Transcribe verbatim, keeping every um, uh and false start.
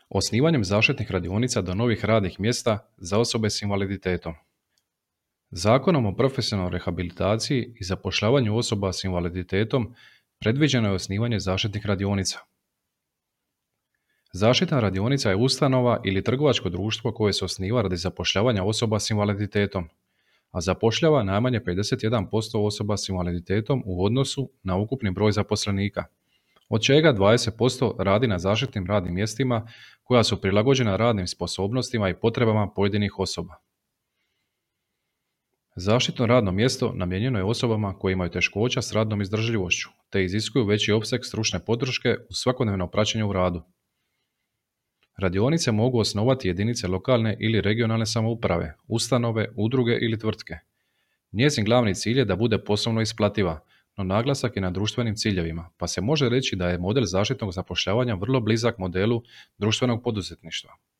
Osnivanjem zaštitnih radionica do novih radnih mjesta za osobe s invaliditetom. Zakonom o profesionalnoj rehabilitaciji i zapošljavanju osoba s invaliditetom predviđeno je osnivanje zaštitnih radionica. Zaštitna radionica je ustanova ili trgovačko društvo koje se osniva radi zapošljavanja osoba s invaliditetom, a zapošljava najmanje pedeset jedan posto osoba s invaliditetom u odnosu na ukupni broj zaposlenika, od čega dvadeset posto radi na zaštitnim radnim mjestima koja su prilagođena radnim sposobnostima i potrebama pojedinih osoba. Zaštitno radno mjesto namijenjeno je osobama koje imaju teškoća s radnom izdržljivošću te iziskuju veći opseg stručne podrške u svakodnevno praćenje u radu. Radionice mogu osnovati jedinice lokalne ili regionalne samouprave, ustanove, udruge ili tvrtke. Njezin glavni cilj je da bude poslovno isplativa, no naglasak je na društvenim ciljevima, pa se može reći da je model zaštitnog zapošljavanja vrlo blizak modelu društvenog poduzetništva.